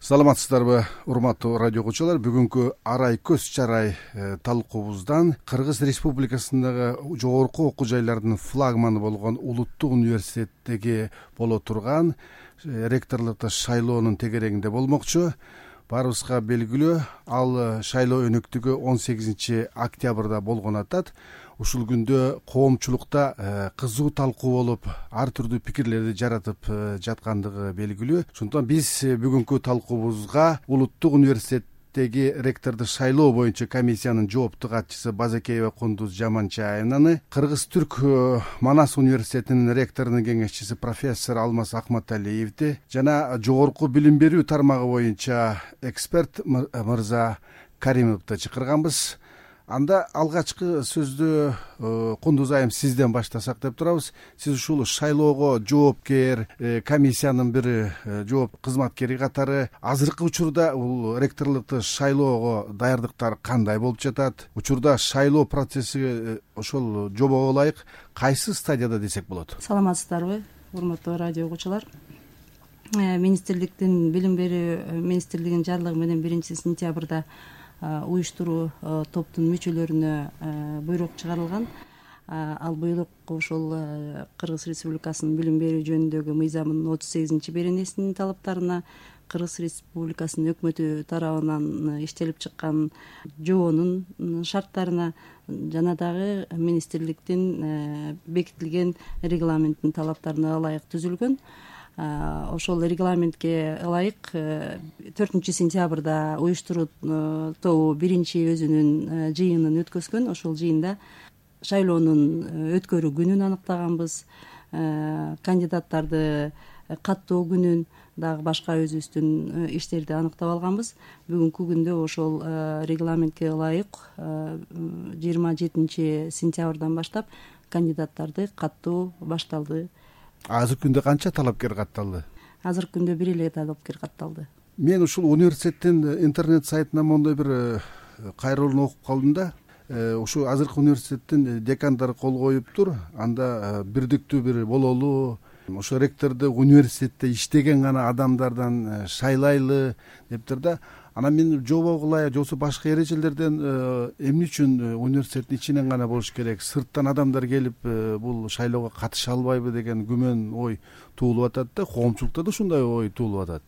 Саламатсыздарбы, урматтуу радио окуучулар. Бүгүнкү арай көз чарай талкуубуздан Кыргыз Республикасындагы жогорку окуу жайлардын флагманы болгон Улуттук университеттеги боло турган ректорлукту шайлоонун тегерегинде болмокчу. Баарыбызга белгилүү, ал шайлоо өнөктүгү 18 октябрда болгон атат. Ушул күндө коомчулукта кызуу талкуу болуп, ар түрдүү пикирлерди жаратып жаткандыгы белгилүү. Ошондуктан биз бүгүнкү талкуубузга Улуттук университеттеги ректорду шайлоо боюнча комиссиянын жоопту катчысы Базакеева Кундуз Жаманчаевнаны, Кыргыз-Түрк Манас университетинин ректорунун кеңешчиси профессор Алмаз Акматалиевди жана жогорку билим берүү тармагы боюнча эксперт мырза Каримовду чакырганбыз. Анда алгачкы сөздү Кундуз айым сизден баштасак деп турабыз. Сиз ушул шайлоого жоопкер, комиссиянын бир жооп кызматкери катары азыркы учурда бул ректорлукту шайлоого даярдыктар кандай болуп жатат? Учурда шайлоо процесси ошол жобого ылайык кайсы стадияда десек болот? Саламатсыздарбы, урматтуу радио окуучулар. Министрликтин билим берүү министрлигинин жарлыгы менен 1-сентябрда уюштуруу топтун мүчөлөрүнө буйрук чыгарылган. Ал буйрук ошол Кыргыз Республикасынын билим берүү жөнүндөгү мыйзамынын 38-беренесинин талаптарына, Кыргыз Республикасынын өкмөтү тарабынан иштелип чыккан жоонун шарттарына жана дагы министрликтин бекитилген регламенттин талаптарына ылайык түзүлгөн. Ошол регламентке ылайык 4-сентябрда уюштуруу тобу биринчи өзүнүн жыйынын өткөзгөн. Ошол жыйында шайлоонун өткөрүү күнүн аныктаганбыз, кандидаттарды каттоо күнүн, дагы башка өзүбүздүн иштерди аныктап алганбыз. Бүгүнкү күндө ошол регламентке ылайык 27-сентябрдан баштап кандидаттарды каттоо башталды. Азыркы күндө канча талапкер катталды? Азыркы күндө бир эле талапкер катталды. Мен ушул университеттин интернет сайтынан мондой бир кайрылууну окуп калдым да. Ушу азыркы университеттин декандары кол коюптур. Анда бирдиктүү бир бололу, ошо ректорду университетте иштеген гана адамдардан шайлайлы дептир да. Анан мен жобого ылайык же башка эрежелерден эмне үчүн университеттин ичинен гана болуш керек, сырттан адамдар келип бул шайлоого катыша албайбы деген күмөн ой туулуп атат да, коомчулукта да ушундай ой туулуп атат.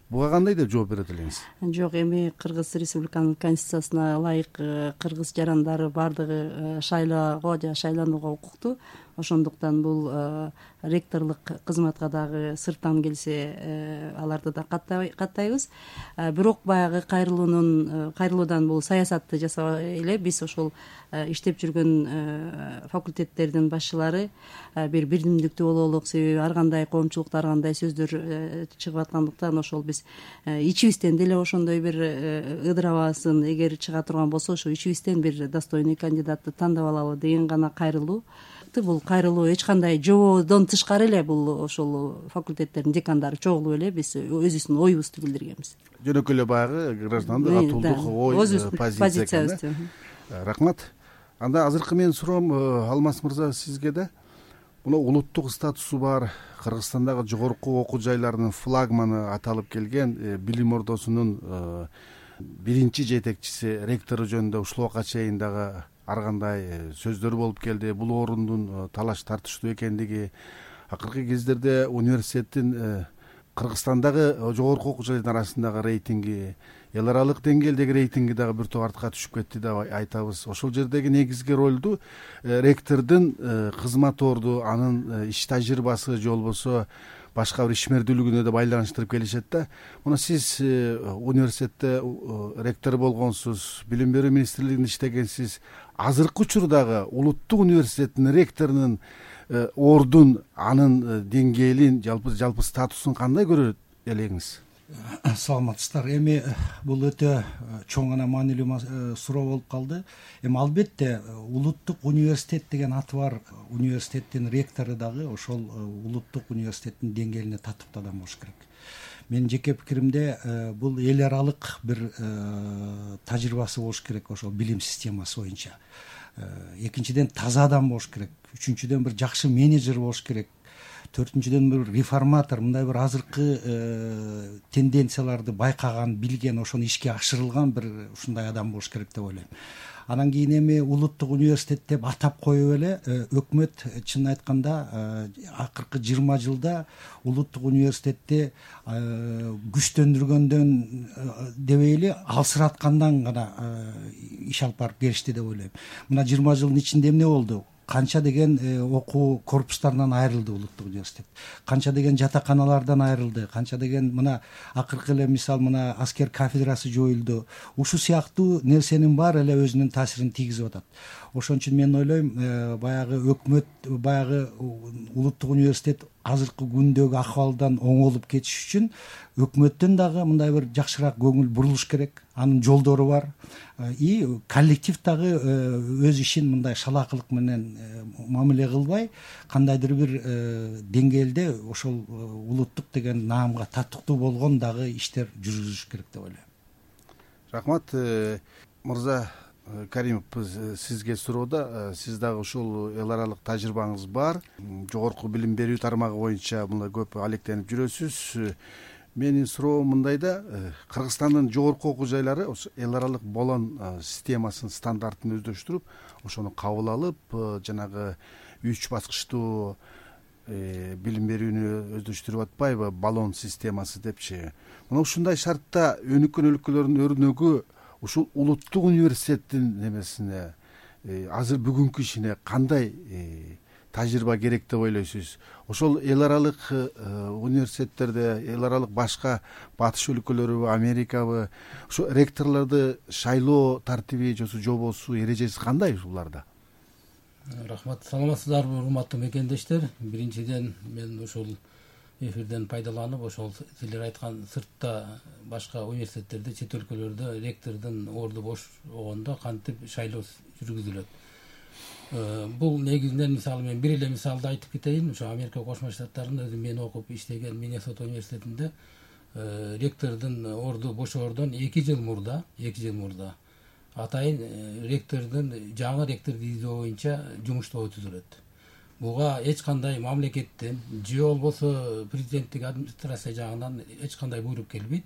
Буга кандай деп жооп берет элеңиз? Жок, эми Кыргыз Республиканын конституциясына ылайык кыргыз жарандары баардыгы шайлоого же шайланууга укуктуу. Ошондуктан бул ректорлук кызматка дагы сырттан келсе аларды да каттайбыз. Бирок баягы кайрылуудан бул саясатты жасабай эле биз ошол иштеп жүргөн факультеттердин башчылары бир бирдимдиктүү бололук, себеби ар кандай коомчулукта ар кандай сөздөр чыгып аткандыктан ошол биз ичибизден деле ошондой бир ыдырабасын эгер чыга турган болсо ошо ичибизден бир достойный кандидатты тандап алалы деген гана кайрылуу. Бул кайрылуу эч кандай жободон тышкары эле, бул ошол факультеттердин декандары чогулуп эле биз өзүбүздүн оюбузду билдиргенбиз. Жөнөкөй эле баягы граждандык атуулдук ой позициябыз. Рахмат. Анда азыркы менин суроом Алмаз мырза сизге да. Мына улуттук статусу бар Кыргызстандагы жогорку окуу жайларынын флагманы аталып келген билим ордосунун биринчи жетекчиси ректору жөнүндө ушул убакка чейин дагы ар кандай сөздөр болуп келди. Бул орундун талаш тартыштуу экендиги, акыркы кездерде университеттин Кыргызстандагы жогорку окуу жайлардын арасындагы рейтинги, эл аралык деңгээлдеги рейтинги дагы бир топ артка түшүп кетти деп айтабыз. Ошол жердеги негизги ролду ректордун кызмат орду, анын иш тажрыйбасы же болбосо башка бир ишмердүүлүгүнө да байланыштырып келишет да. Мына сиз университетте ректор болгонсуз, билим берүү министрлигинде иштегенсиз. Азыркы учурдагы Улуттук университеттин ректорунун ордун, анын деңгээлин, жалпы статусун кандай көрөт элеңиз? Саламатсыздар. Эми бул өтө чоң гана маанилүү суроо болуп калды. Эми албетте Улуттук университет деген аты бар университеттин ректору дагы ошол Улуттук университеттин деңгээлине татыктуу адам болуш керек. Менин жеке пикиримде бул эл аралык бир тажрыйбасы болуш керек ошол билим системасы боюнча. Экинчиден таза адам болуш керек. Үчүнчүдөн бир жакшы менеджер болуш керек. төртүнчүдөн бир реформатор, мындай бир азыркы тенденцияларды байкаган, билген, ошону ишке ашырылган бир ушундай адам болуш керек деп ойлойм. Анан кийин эми улуттук университет деп атап коюп эле өкмөт чынын айтканда акыркы 20 жылда улуттук университетти күчтөндүргөндөн дебейли, алсыраткандан гана иш алып барып беришти деп ойлойм. Мына 20 жылдын ичинде эмне болду? Канча деген окуу корпустарынан айрылды улуттук университет, канча деген жатаканалардан айрылды, канча деген мына акыркы эле мисал мына аскер кафедрасы жоюлду. Ушул сыяктуу нерсенин баары эле өзүнүн таасирин тийгизип атат. Ошон үчүн мен ойлойм, баягы өкмөт, баягы улуттук университет азыркы күндөгү акыбалдан оңолуп кетиш үчүн өкмөттөн дагы мындай бир жакшыраак көңүл бурулуш керек. Анын жолдору бар. И коллектив дагы өз ишин мындай шалаакылык менен мамиле кылбай, кандайдыр бир деңгээлде ошол улуттук деген наамга татыктуу болгон дагы иштер жүргүзүш керек деп ойлойм. Рахмат. Мырза Каримов, сизге суроодо, сиз дагы ушул эл аралык тажрыйбаңыз бар, жогорку билим берүү тармагы боюнча мына көп алектенип жүрөсүз. Менин суроом мындай да, Кыргызстандын жогорку окуу жайлары эл аралык болон системасын, стандартын өздөштүрүп, ошону кабыл алып, жанагы 3 баскычтуу билим берүүнү өздөштүрүп атпайбы, баллон системасы депчи. Мына ушундай шартта өнүккөн өлкөлөрдүн өрнөгү ушул улуттук университеттин немесине, азыр бүгүнкү ишине кандай тажрыйба керек деп ойлойсуз? Ошол эл аралык университеттерде, эл аралык башка батыш өлкөлөрүбү, Америкабы, ушу ректорлорду шайлоо тартиби жобосу, эрежеси кандай ушуларда? Рахмат. Саламатсыздарбы, урматтуу мекендештер. Биринчиден мен ушул эфирден пайдаланып, ошол силер айткан сыртта башка университеттерде, чет өлкөлөрдө ректордун орду бош болгондо кантип шайлоо жүргүзүлөт. Бул негизинен мисалы мен бир эле мисалды айтып кетейин. Ошо Америка Кошмо Штаттарында өзүм мен окуп иштеген Миннесота университетинде ректордун орду бошоордон 2 жыл мурда атайын ректордун жаңы ректорду издөө боюнча жумуштоо өткөзүлөт. Буга эч кандай мамлекеттен же болбосо президенттик администрация жагынан эч кандай буйрук келбейт.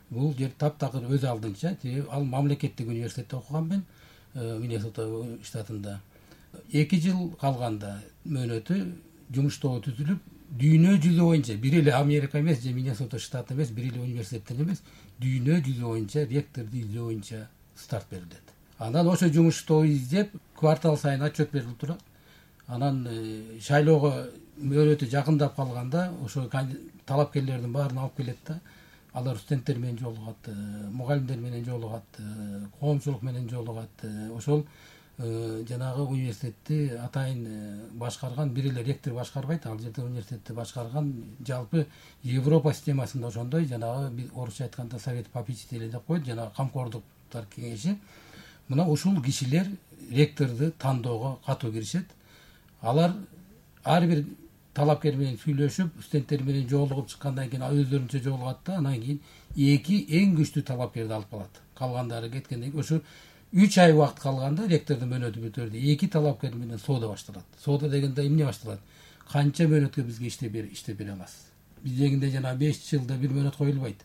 Бул жер таптакыр өз алдынча, ал мамлекеттик университетте окуган мен Миннесота штатында. 2 жыл калганда мөөнөтү жумуштоо түзүлүп, дүйнө жүзү боюнча бир эле Америка эмес же Миннесота штаты эмес, бир эле университеттен эмес, дүйнө жүзү боюнча ректорду издөө боюнча старт берилет. Анан ошо жумуштоо издеп, квартал сайын отчет берилип турат. Анан шайлоого мөөнөтү жакындап калганда ошо талапкерлердин баарын алып келет да, алар студенттер менен жолугат, мугалимдер менен жолугат, коомчулук менен жолугат. Ошол жанагы университетти атайын башкарган бир эле ректор башкарбайт, ал жерде университетти башкарган жалпы Европа системасында ошондой жанагы орусча айтканда совет попечителей деп коет, жанагы камкордуктар кеңеши. Мына ушул кишилер ректорду тандоого катуу киришет. Алар ар бир талапкер менен сүйлөшүп, студенттер менен жолугуп чыккандан кийин өздөрүнчө жолугат да, анан кийин 2 эң күчтүү талапкерди алып калат. Калгандары кеткенден кийин ошо 3 ай убакыт калганда ректордун мөөнөтү бүтөрдө 2 талапкер менен соода башталат. Соода дегенде эмне башталат? Канча мөөнөткө бизге иштеп бере аласыз? Биздегинде жана 5 жылда бир мөөнөт коюлбайт.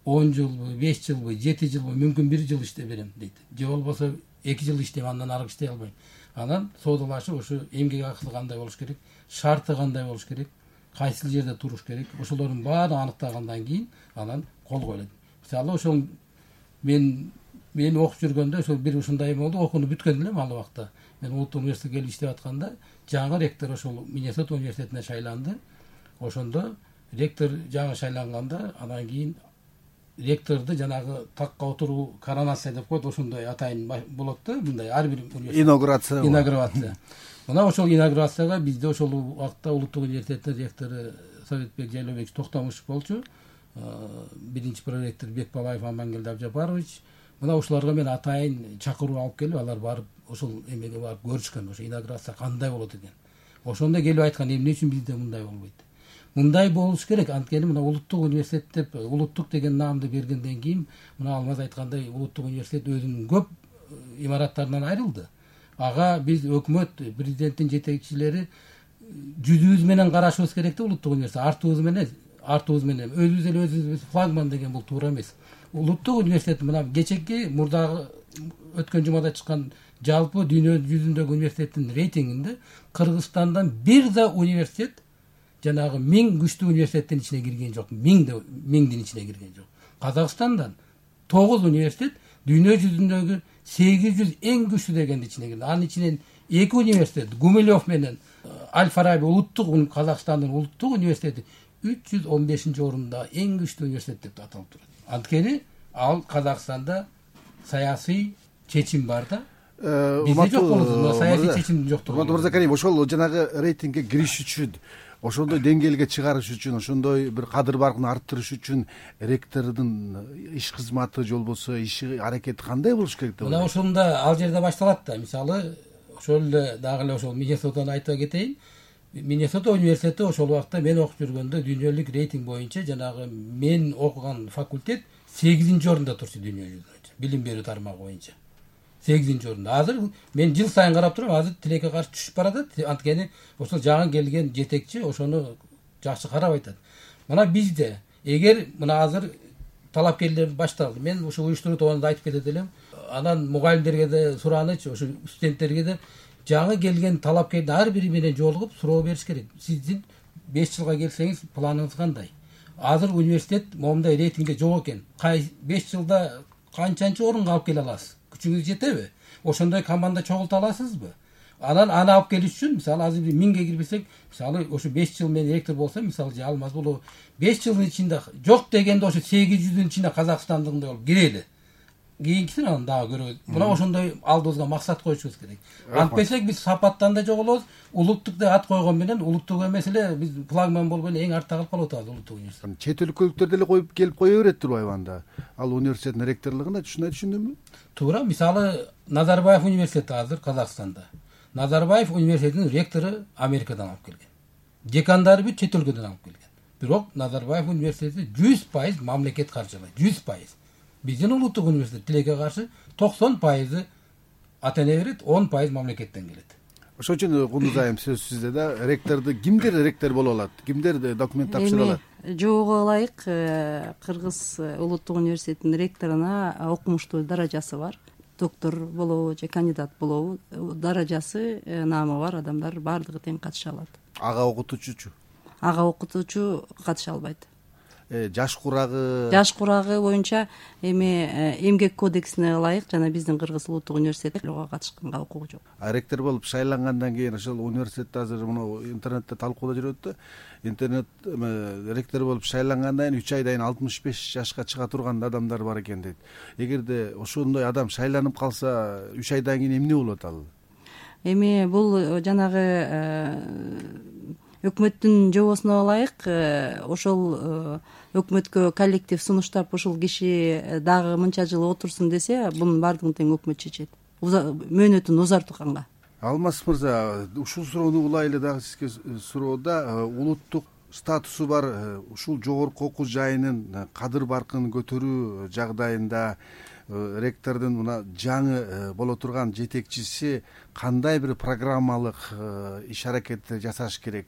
10 жылбы, 5 жылбы, 7 жылбы, мүмкүн 1 жыл иштеп берем дейт. Же болбосо 2 жыл иштеп, андан ары иштей албайм. Анан соодалашып, ошо эмгек акысы кандай болуш керек, шарты кандай болуш керек, кайсы жерде туруш керек, ошолордун баарын аныктагандан кийин анан кол коюлат. Мисалы ошол мен окуп жүргөндө ошол бир ушундай болду, окууну бүткөн элем ал убакта. Мен улуттук университетке келип иштеп атканда, жаңы ректор ошол Миннесота университетине шайланды. Ошондо ректор жаңы шайланганда, анан кийин ректорду жанагы такка отуруу коронация деп коет, ошондой атайын болот да, мындай ар бир инаугурация. Мына ошол инаугурацияга бизде ошол убакта улуттук университеттин ректору Советбек Жайлообекович Токтомушев болчу, биринчи проректор Бекбалаев Амангелди Абжапарович. Мына ушуларга мен атайын чакыруу алып келип, алар барып ошол эмеге барып көрүшкөн, ошо инаугурация кандай болот экен. Ошондо келип айткан, эмне үчүн бизде мындай болбойт? Мындай болуш керек. Анткени мына улуттук университет деп, улуттук деген наамды бергенден кийин, мына Алмаз айткандай, улуттук университет өзүнүн көп имараттарынан айрылды. Ага биз өкмөт, президенттин жетекчилери жүзүбүз менен карашыбыз керек да улуттук университет, артыбыз менен өзүбүз эле өзүбүз флагман деген бул туура эмес. Улуттук университет мына кечеки мурдагы өткөн жумада чыккан жалпы дүйнө жүзүндөгү университеттин рейтингинде Кыргызстандан бир да университет жанагы 1000 күчтүү университеттин ичине кирген жок, 1000дин ичине кирген жок. Казакстандан 9 университет дүйнө жүзүндөгү 800 эң күчтүү дегендин ичине кирди. Анын ичинен 2 университет Гумилев менен Аль-Фараби Казакстандын улуттук университети 315-орунда эң күчтүү университет деп аталып турат. Анткени ал Казакстанда саясий чечим бар да. Бизде жок болот, саясий чечим жоктугу. Мырзакарим, ошол жанагы рейтингге кириш үчүн, ошондой деңгээлге чыгарыш үчүн, ошондой бир кадыр баркын арттырыш үчүн ректордун иш кызматы же болбосо иши аракети кандай болуш керек деп? Мына ошондо ал жерде башталат да. Мисалы, ошол эле дагы эле ошол Миннесотаны айта кетейин. Миннесота университети ошол убакта мен окуп жүргөндө дүйнөлүк рейтинг боюнча жанагы мен окуган факультет 8-орунда турчу дүйнө жүзүндө. Билим берүү тармагы боюнча 8-орунда. Азыр мен жыл сайын карап турам, азыр тилекке каршы түшүп баратат. Анткени ошол жаңы келген жетекчи ошону жакшы карап айтат. Мына бизде эгер мына азыр талапкерлер башталды. Мен ошо уюштуруу тобунда айтып кетет элем. Анан мугалимдерге да суранычы, ошо студенттерге да жаңы келген талапкерди ар бири менен жолугуп суроо бериш керек. Сиздин 5 жылга келсеңиз планыңыз кандай? Азыр университет момундай рейтингде жок экен. 5 жылда канчанчы орунга алып келе аласыз? Күчүңүз жетеби? Ошондой команда чогулта аласызбы? Анан аны алып келиш үчүн, мисалы азыр 1000ге кирбесек, мисалы ошо 5 жыл мен ректор болсом, мисалы же алмаз болобу 5 жылдын ичинде жок дегенде ошо 800-дүн ичине Казакстандыгындай болуп кирели. Кийинкисин анан дагы көрөбүз. Мына ошондой алдыбызга максат коюшубуз керек. Антпесек биз сапаттан да жоголобуз, улуттук деп ат койгон менен улуттук эмес эле биз флагман болуп эле эң артта калып атабыз улуттук университет. Чет өлкөлүктөр деле коюп келип кое берет турбайбы анда? Ал университеттин ректорлугуна ушундай түшүндүмбү? Туура, мисалы Назарбаев университети азыр Казакстанда. Назарбаев университетинин ректору Америкадан алып келген. Декандары бүт чет өлкөдөн алып келген. Бирок Назарбаев университети 100% мамлекет каржылайт, 100%. Биздин улуттук университет тилекке каршы 90% ата эне берет, 10% мамлекеттен келет. Ошон үчүн Кундуз айым сөз сизде да. Ректорду кимдер ректор боло алат? Кимдер документ тапшыра алат? Жоого ылайык Кыргыз улуттук университетинин ректоруна окумуштуу даражасы бар. Доктор болобу же кандидат болобу, даражасы, наамы бар адамдар баардыгы тең катыша алат. Ага окутуучучу? Ага окутуучу катыша албайт. Жаш курагы боюнча эмгек кодексине ылайык жана биздин Кыргыз улуттук университети ого катышканга укугу жок. Ректор болуп шайлангандан кийин ошол университетте азыр мына интернетте талкуулар жүрөт да. Интернет ректор болуп шайлангандан кийин 3 айдан 65 жашка чыга турган адамдар бар экен дейт. Эгерде ошондой адам шайланып калса 3 айдан кийин эмне болот ал? Бул жанагы өкмөттүн жобосуна ылайык ошол өкмөткө коллектив сунуштап ушул киши дагы мынча жыл отурсун десе, бунун баардыгын тең өкмөт чечет. Мөөнөтүн узартканга. Алмаз мырза, ушул суроону улай эле дагы сизге суроода, улуттук статусу бар ушул жогорку окуу жайынын кадыр баркын көтөрүү жагдайында ректордун мына жаңы боло турган жетекчиси кандай бир программалык иш аракеттер жасаш керек?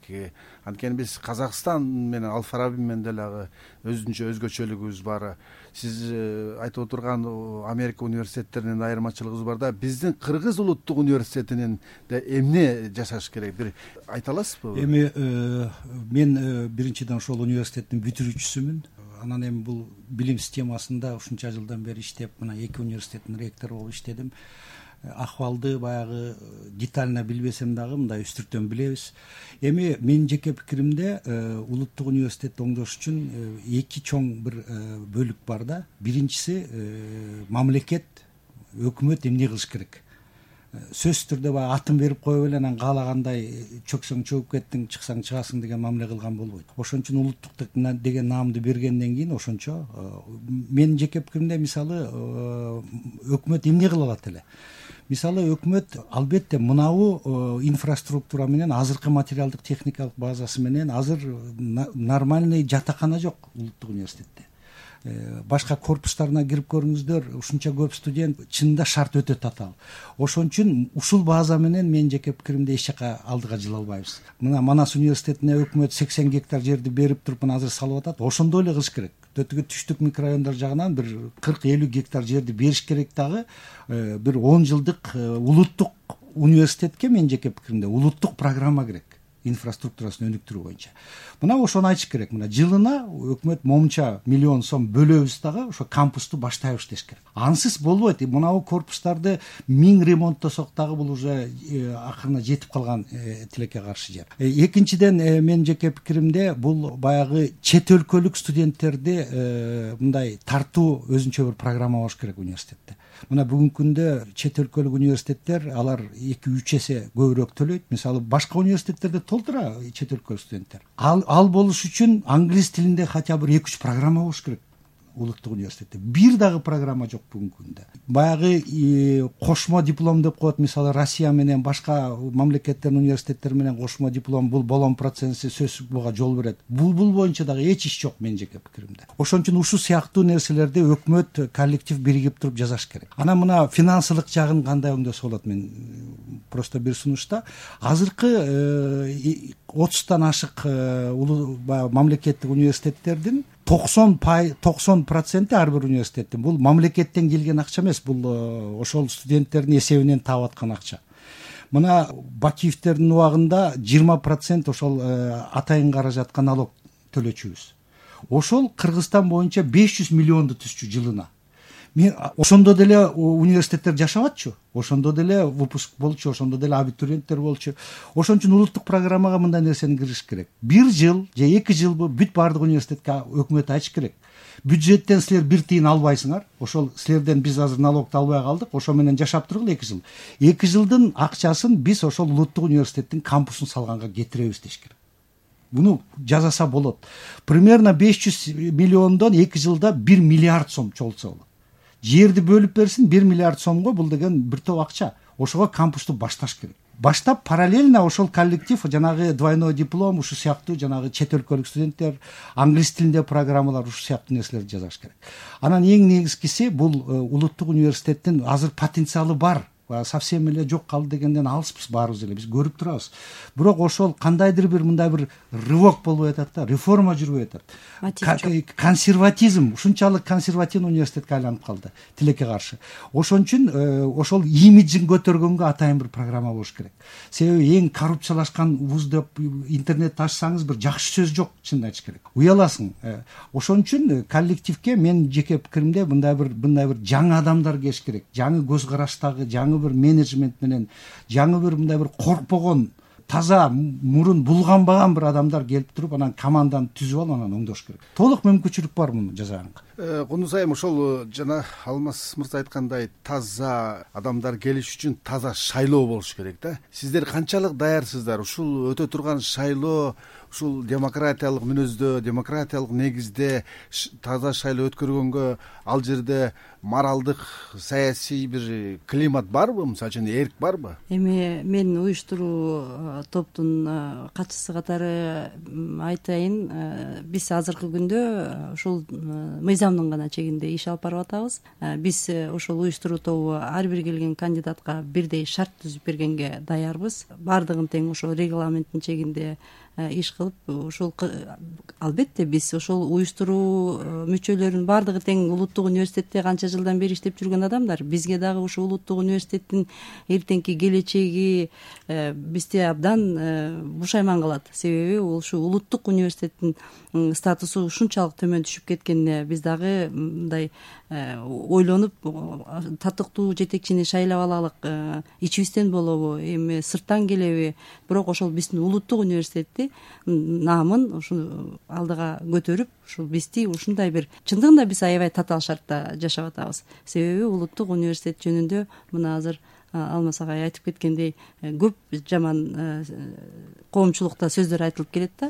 Анткени биз Казакстан менен Аль-Фараби менен деле өзүнчө өзгөчөлүгүбүз бар. Сиз айтып отурган Америка университеттеринен айырмачылыгыбыз бар да, биздин Кыргыз улуттук университетинен эмне жасаш керек? Бир айта аласызбы? Мен биринчиден ошол университеттин бүтүрүүчүсүмүн. Анан бул билим системасында ушунча жылдан бери иштеп, мына 2 университеттин ректору болуп иштедим. Акыбалды баягы детально билбесем дагы мындай үстүртөн билебиз. Менин жеке пикиримде улуттук университетти оңдош үчүн 2 чоң бир бөлүк бар да. Биринчиси мамлекет, өкмөт эмне кылыш керек? Сөзсүз түрдө баягы атын берип коюп эле анан каалагандай чөксөң чөгүп кеттиң, чыксаң чыгасың деген мамиле кылган болбойт. Ошон үчүн улуттук деген наамды бергенден кийин ошончо менин жеке пикиримде мисалы өкмөт эмне кыла алат эле? Мисалы өкмөт албетте мынабу инфраструктура менен, азыркы материалдык техникалык базасы менен азыр нормальный жатакана жок улуттук университетте. башка корпустарына кирип көрүңүздөр, ушунча көп студент, чынында шарт өтө татаал. Ошон үчүн ушул база менен менин жеке пикиримде эч жака алдыга жыла албайбыз. Мына Манас университетине өкмөт 80 гектар жерди берип туруп мына азыр салып атат. Ошондой эле кылыш керек. Төтүгө түштүк микрорайондар жагынан бир 40-50 гектар жерди бериш керек дагы. Бир 10 жылдык улуттук университетке менин жеке пикиримде улуттук программа керек, инфраструктурасын өнүктүрүү боюнча. Мына ошону айтыш керек. Мына жылына өкмөт момунча миллион сом бөлөбүз дагы ошо кампусту баштайбыз деш керек. Ансыз болбойт. Мынабу корпустарды 1000 ремонттосок дагы бул уже акырына жетип калган тилекке каршы жер. Экинчиден менин жеке пикиримде бул баягы чет өлкөлүк студенттерди мындай тартуу өзүнчө бир программа болуш керек университетте. Мына бүгүнкү күндө чет өлкөлүк университеттер алар 2-3 эсе көбүрөөк төлөйт. Мисалы башка университеттерде толтура чет өлкөлүк студенттер. Ал болуш үчүн англис тилинде хотя бы 2-3 программа болуш керек улуттук университетте. Бир дагы программа жок бүгүнкү күндө. Баягы кошмо диплом деп коет, мисалы Россия менен башка мамлекеттердин университеттери менен кошмо диплом, бул болон процесси сөзсүз буга жол берет. Бул боюнча дагы эч иш жок менин жеке пикиримде. Ошон үчүн ушул сыяктуу нерселерди өкмөт коллектив биригип туруп жасаш керек. Анан мына финансылык жагын кандай өңдөсө болот, мен просто бир сунушта азыркы 30тан ашык мамлекеттик университеттердин 90% ар бир университеттин бул мамлекеттен келген акча эмес, бул ошол студенттердин эсебинен таап аткан акча. Мына Бакиевтердин убагында 20% ошол атайын каражатка налог төлөчүбүз. Ошол Кыргызстан боюнча 500 миллионду түзчү жылына. Ошондо деле университеттер жашабатчу, ошондо деле выпуск болчу, ошондо деле абитуриенттер болчу. Ошон үчүн улуттук программага мындай нерсени киргизиш керек. 1 жыл же 2 жылбы бүт баардык университетке өкмөт айтыш керек. Бюджеттен силер 1 тыйын албайсыңар. Ошол силерден биз азыр налогду албай калдык. Ошо менен жашап тургула 2 жыл. 2 жылдын акчасын биз ошол улуттук университеттин кампусун салганга кетиребиз деш керек. Буну жазаса болот. Примерно 500 миллиондон 2 жылда 1 миллиард сом чогултса болот. Жерди бөлүп берсин 1 миллиард сомго, бул деген бир топ акча. Ошого кампусту башташ керек. Баштап параллельно ошол коллектив жанагы двойной диплом, ушу сыяктуу жанагы чет өлкөлүк студенттер, англис тилинде программалар, ушу сыяктуу нерселерди жазаш керек. Анан эң негизгиси бул улуттук университеттин азыр потенциалы бар. Совсем эле жок калды дегенден алыспыз, баарыбыз эле биз көрүп турабыз. Бирок ошол кандайдыр бир мындай бир рывок болбой атат да, реформа жүрбөй атат. Консерватизм, ушунчалык консервативный университетке айланып калды тилекке каршы. Ошон үчүн ошол имиджин көтөргөнгө атайын бир программа болуш керек. Себеби эң коррупциялашкан вуз деп интернетти ачсаңыз бир жакшы сөз жок, чынын айтыш керек. Уяласың. Ошон үчүн коллективге мен жеке пикиримде мындай бир жаңы адамдар келиш керек. Жаңы көз караштагы, жаңы бир менеджмент менен, жаңы бир мындай бир коркпогон, таза мурун булганбаган бир адамдар келип туруп, анан команданы түзүп алып, анан оңдош керек. Толук мүмкүнчүлүк бар муну жасаганга. Кундуз айым, ошол жана Алмаз мырза айткандай таза адамдар келиш үчүн таза шайлоо болуш керек да. Сиздер канчалык даярсыздар? Ушул өтө турган шайлоо ушул демократиялык мүнөздө, демократиялык негизде таза шайлоо өткөргөнгө ал жерде моралдык, саясий бир климат барбы? Мисалы үчүн эрк барбы? Эми мен уюштуруу топтун катчысы катары айтайын, биз азыркы күндө ушул мыйзамдын гана чегинде иш алып барып атабыз. Биз ошол уюштуруу тобу ар бир келген кандидатка бирдей шарт түзүп бергенге даярбыз. Бардыгын тең ошол регламенттин чегинде иш кылып, ошол албетте биз ошол уюштуруу мүчөлөрүнүн бардыгы тең улуттук университетте канча жылдан бери иштеп жүргөн адамдар. Бизге дагы ушул улуттук университеттин эртеңки келечеги бизди абдан бушайман кылат. Себеби ушу улуттук университеттин статусу ушунчалык төмөн түшүп кеткенине биз дагы мындай ойлонуп, татыктуу жетекчини шайлап алалык, ичибизден болобу, эми сырттан келеби, бирок ошол биздин улуттук университетти наамын ушу алдыга көтөрүп, ушул бизди ушундай бир чындыгында биз аябай татаал шартта жашап атабыз. Себеби улуттук университет жөнүндө мына азыр Алмаз агай айтып кеткендей көп жаман коомчулукта сөздөр айтылып келет да.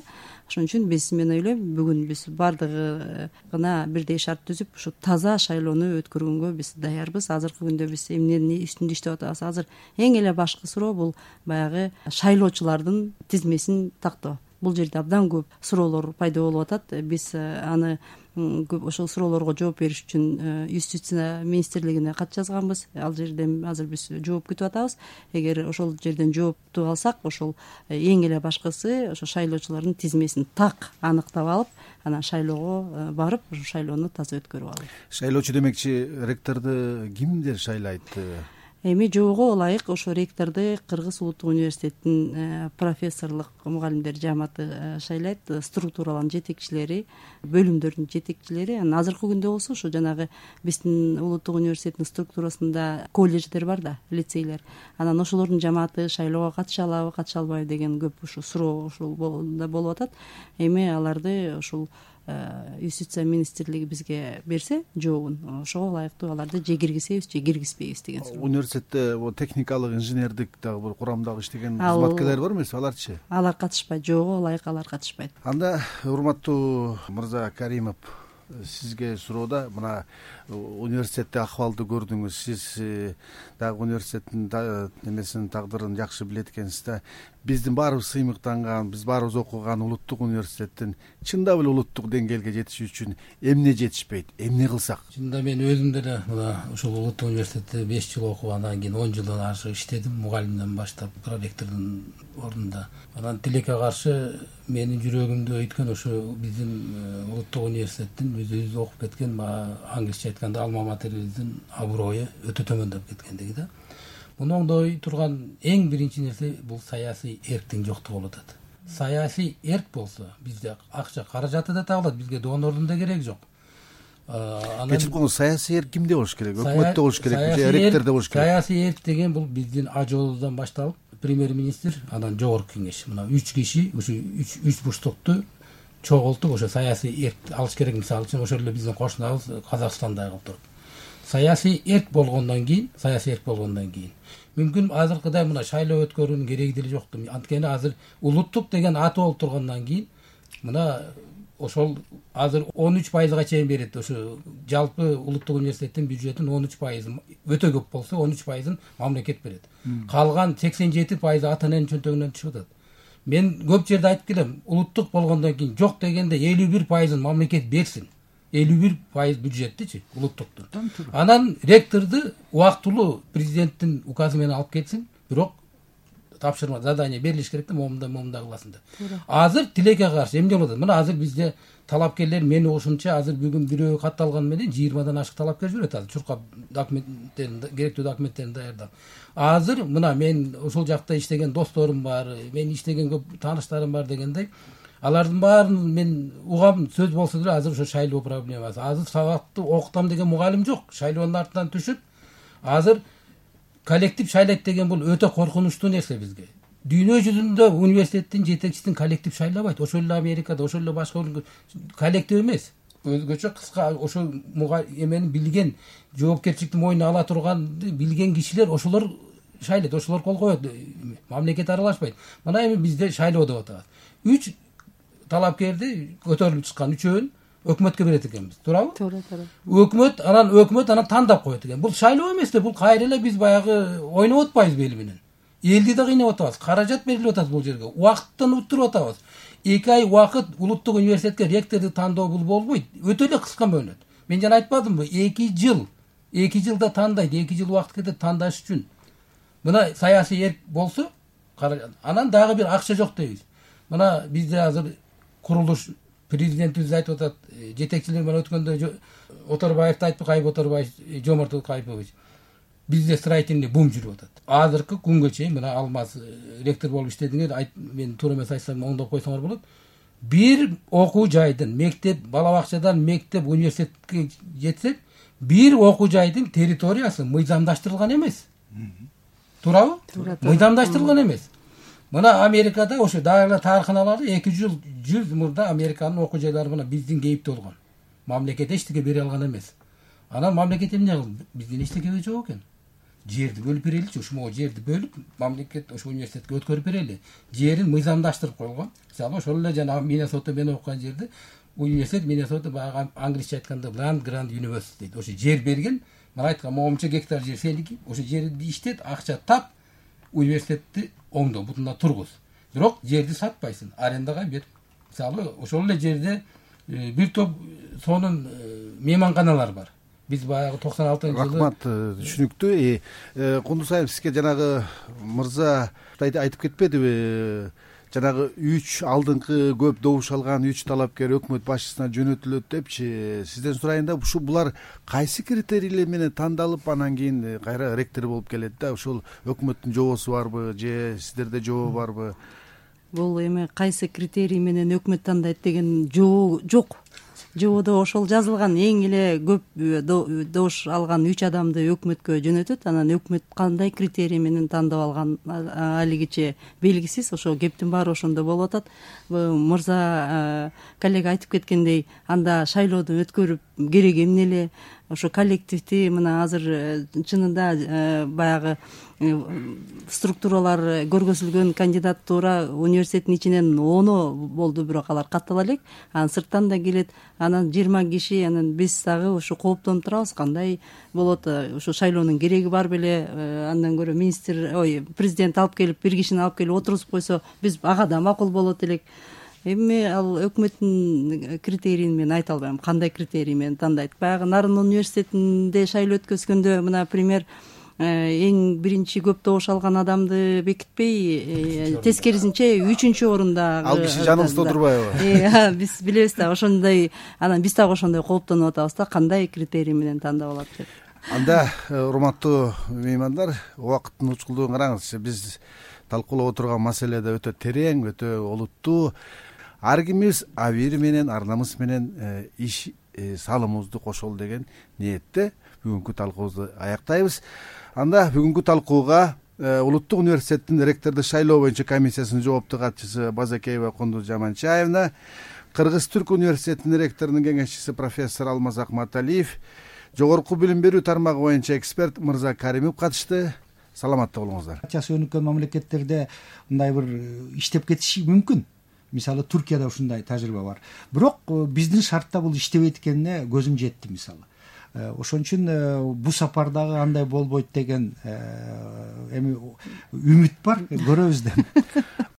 Ошон үчүн мен ойлойм, бүгүн биз бардыгына бирдей шарт түзүп, ушу таза шайлоону өткөргөнгө биз даярбыз. Азыркы күндө биз эмненин үстүндө иштеп атабыз? Азыр эң эле башкы суроо бул баягы шайлоочулардын тизмесин тактоо. бул жерде абдан көп суроолор пайда болуп атат. Биз аны көп ошол суроолорго жооп бериш үчүн юстиция министрлигине кат жазганбыз. Ал жерден азыр биз жооп күтүп атабыз. Эгер ошол жерден жоопту алсак, ошол эң эле башкысы ошо шайлоочулардын тизмесин так аныктап алып, анан шайлоого барып, ошо шайлоону таза өткөрүп алуу. Шайлоочу демекчи ректорду кимдер шайлайт? Эми жоого ылайык ошо ректорду Кыргыз улуттук университетинин профессорлук мугалимдер жамааты шайлайт, структуралардын жетекчилери, бөлүмдөрдүн жетекчилери. Анан азыркы күндө болсо ошо жанагы биздин улуттук университеттин структурасында колледждер бар да, лицейлер. Анан ошолордун жамааты шайлоого катыша алабы, катыша албайбы деген көп ушу суроо ушул болуп атат. Эми аларды ушул юстиция министрлиги бизге берсе жообун, ошого ылайыктуу аларды же киргизебиз, же киргизбейбиз деген суроо. Университетте техникалык, инженердик дагы бир курамдагы иштеген кызматкерлер бар эмеспи? Аларчы? Алар катышпайт, жоого ылайык алар катышпайт. Анда урматтуу мырза Каримов, сизге суроода, мына университетте акыбалды көрдүңүз, сиз дагы университеттин немесин, тагдырын жакшы билет экенсиз да. Биздин баарыбыз сыймыктанган, биз баарыбыз окуган улуттук университеттин чындап эле улуттук деңгээлге жетиш үчүн эмне жетишпейт, эмне кылсак? Чынында мен өзүм деле мына ушул улуттук университетте 5 жыл окуп, андан кийин 10 жылдан ашык иштедим, мугалимден баштап проректордун ордунда. Анан тилекке каршы менин жүрөгүмдө өйткөн ошо биздин улуттук университеттин өзүбүз окуп кеткен, англисче айтканда алма материбиздин аброю өтө төмөндөп кеткендиги да. Муну оңдой турган эң биринчи нерсе бул саясий эрктин жоктугу болуп атат. Саясий эрк болсо бизде акча каражаты да табылат, бизге донордун да кереги жок. Кечирип койгоңуз, саясий эрк кимде болуш керек? Өкмөттө болуш керекпи же ректордо болуш керек? Саясий эрк деген бул биздин ажообуздан башталып, премьер-министр, анан жогорку кеңеш, мына 3 киши ушу 3 бурчтукту чогултуп ошо саясий эрк алыш керек. Мисалы үчүн ошол эле биздин кошунабыз Казакстандай кылып туруп. Саясий эрк болгондон кийин мүмкүн азыркыдай мына шайлоо өткөрүүнүн кереги деле жокту. Анткени азыр улуттук деген аты болуп тургандан кийин мына ошол азыр 13%га чейин берет. Ошо жалпы улуттук университеттин бюджетин 13% өтө көп болсо 13%ын мамлекет берет. Калган 87% ата эненин чөнтөгүнөн түшүп атат. Мен көп жерде айтып келем, улуттук болгондон кийин жок дегенде 51%ын мамлекет берсин. 51% бюджеттичи улуттуктун. Анан ректорду убактылуу президенттин указы менен алып кетсин, бирок тапшырма, задание берилиш керек да, момунда кыласың деп. Азыр тилекке каршы эмне болот? Мына азыр бизде талапкерлер мени ушунча азыр бүгүн бирөө катталган менен 20дан ашык талапкер жүрөт. Азыр чуркап документтерин, керектүү документтерин даярдап. Азыр мына мен ошол жакта иштеген досторум бар, мен иштеген көп тааныштарым бар дегендей, алардын баарын мен угам, сөз болсо деле азыр ошо шайлоо проблемасы. Азыр сабакты окутам деген мугалим жок. Шайлоонун артынан түшүп, азыр коллектив шайлайт деген бул өтө коркунучтуу нерсе бизге. Дүйнө жүзүндө университеттин жетекчисин коллектив шайлабайт. Ошол эле Америкада, ошол эле башка коллектив эмес. Өзгөчө кыска ошо эмени билген, жоопкерчиликти мойнуна ала турган билген кишилер ошолор шайлайт, ошолор кол коет. Мамлекет аралашпайт. Мына эми бизде шайлоо деп атабыз. 3 талапкерди көтөрүлүп чыккан 3-өөн өкмөткө берет экенбиз. Туурабы? Туура. Өкмөт анан тандап коет экен. Бул шайлоо эмес да, бул кайра эле биз баягы ойноп атпайбыз бели менен. Элди да кыйнап атабыз. Каражат берилип атат бул жерге. Убакыттан уттуруп атабыз. 2 ай убакыт улуттук университетке ректорду тандоо бул болбойт. Өтө эле кыска мөөнөт. Мен жана айтпадымбы? 2 жыл. 2 жылда тандайт, 2 жыл убакыт кетет тандаш үчүн. Мына саясий эрк болсо, анан дагы бир акча жок дейбиз. Мына бизде азыр курулуш президентибиз айтып атат, жетекчилер менен өткөндө Оторбаевди айтпы, Кайып Оторбаев, Жомарт Кайыпович. Бизде строительный бум жүрүп атат. Азыркы күнгө чейин мына Алмаз ректор болуп иштедиңер, мен туура эмес айтсам оңдоп койсоңор болот. Бир окуу жайдын, мектеп, бала бакчадан мектеп, университетке жетсек, бир окуу жайдын территориясы мыйзамдаштырылган эмес. Туурабы? Мыйзамдаштырылган эмес. Мына Америкада ошо дагы тарыханалары 200 жыл мурда Американын окуу жайлары мына биздин кейипте болгон. Мамлекет эчтеке бере алган эмес. Анан мамлекет эмне кылды? Биздин эчтекеге жок экен. Жерди бөлүп береличи, ошо жерди бөлүп мамлекет ошо университетке өткөрүп берели. Жерин мыйзамдаштырып койгон. Мисалы ошол эле жана Миннесота мен окуган жерде университет Миннесота баягы англисче айтканда Land Grant University дейт. Ошо жер берген, мына айткан момунча гектар жер сеники, ошо жерди иштет, акча тап, университетти оңдо, бутунда тургуз. бирок жерди сатпайсың, арендага бер. Мисалы ошол эле жерде бир топ сонун мейманканалар бар. Биз баягы 96-жылы. Рахмат, түшүнүктүү. Кундусаев, сизге жанагы мырза айтып кетпедиби? Жанагы 3 алдыңкы көп добуш алган 3 талапкер өкмөт башчысына жөнөтүлөт депчи. Сизден сурайын да, булар кайсы критерийлер менен тандалып, анан кийин кайра ректор болуп келет да? Ушул өкмөттүн жобосу барбы же сиздерде жобо барбы? Бул эми кайсы критерий менен өкмөт тандайт деген жобо жок. Жободо ошол жазылган, эң эле көп добуш алган 3 адамды өкмөткө жөнөтөт. Анан өкмөт кандай критерий менен тандап алган алигиче белгисиз. Ошо кептин баары ошондо болуп атат. Мырза коллега айтып кеткендей, анда шайлоодон өткөрүп кереги эмне эле? Ошо коллективди мына азыр чынында баягы структуралар көргөзүлгөн кандидатура университеттин ичинен 10 болду, бирок алар каттала элек. Анан сырттан да келет. Анан 20 киши, анан биз дагы ушу кооптонуп турабыз, кандай болот, ушу шайлоонун кереги бар беле? Андан көрө президент алып келип, бир кишини алып келип отургузуп койсо, биз ага да макул болот элек. Эми ал өкмөттүн критерийин мен айта албайм, кандай критерий менен тандайт. Баягы Нарын университетинде шайлоо өткөзгөндө мына пример, эң биринчи көп добуш алган адамды бекитпей, тескерисинче 3-орунда Ал киши жаныбызда отурбайбы? Биз билебиз да, ошондой. Анан биз дагы ошондой кооптонуп атабыз да, кандай критерий менен тандап алат деп. Анда, урматтуу меймандар, убакыттын учкулдугун караңыз. Биз талкуулап отурган маселе да өтө терең, өтө олуттуу. Ар кимибиз абийир менен, ар намыс менен иш салымыбызды кошолу деген ниетте бүгүнкү талкуубузду аяктайбыз. Анда бүгүнкү талкууга Улуттук университеттин ректорду шайлоо боюнча комиссиясынын жооптуу катчысы Базакеева Кундуз Жаманчаевна, Кыргыз-Түрк университетинин ректорунун кеңешчиси профессор Алмаз Акматалиев, жогорку билим берүү тармагы боюнча эксперт Мырза Каримов катышты. Саламатта болуңуздар. Часы өнүккөн мамлекеттерде мындай бир иштеп кетиши мүмкүн. Мисалы Туркияда ушундай тажрыйба бар. Бирок биздин шартта бул иштебейт экенине көзүм жетти мисалы. Ошон үчүн бул сапардагы андай болбойт деген эми үмүт бар, көрөбүз деп.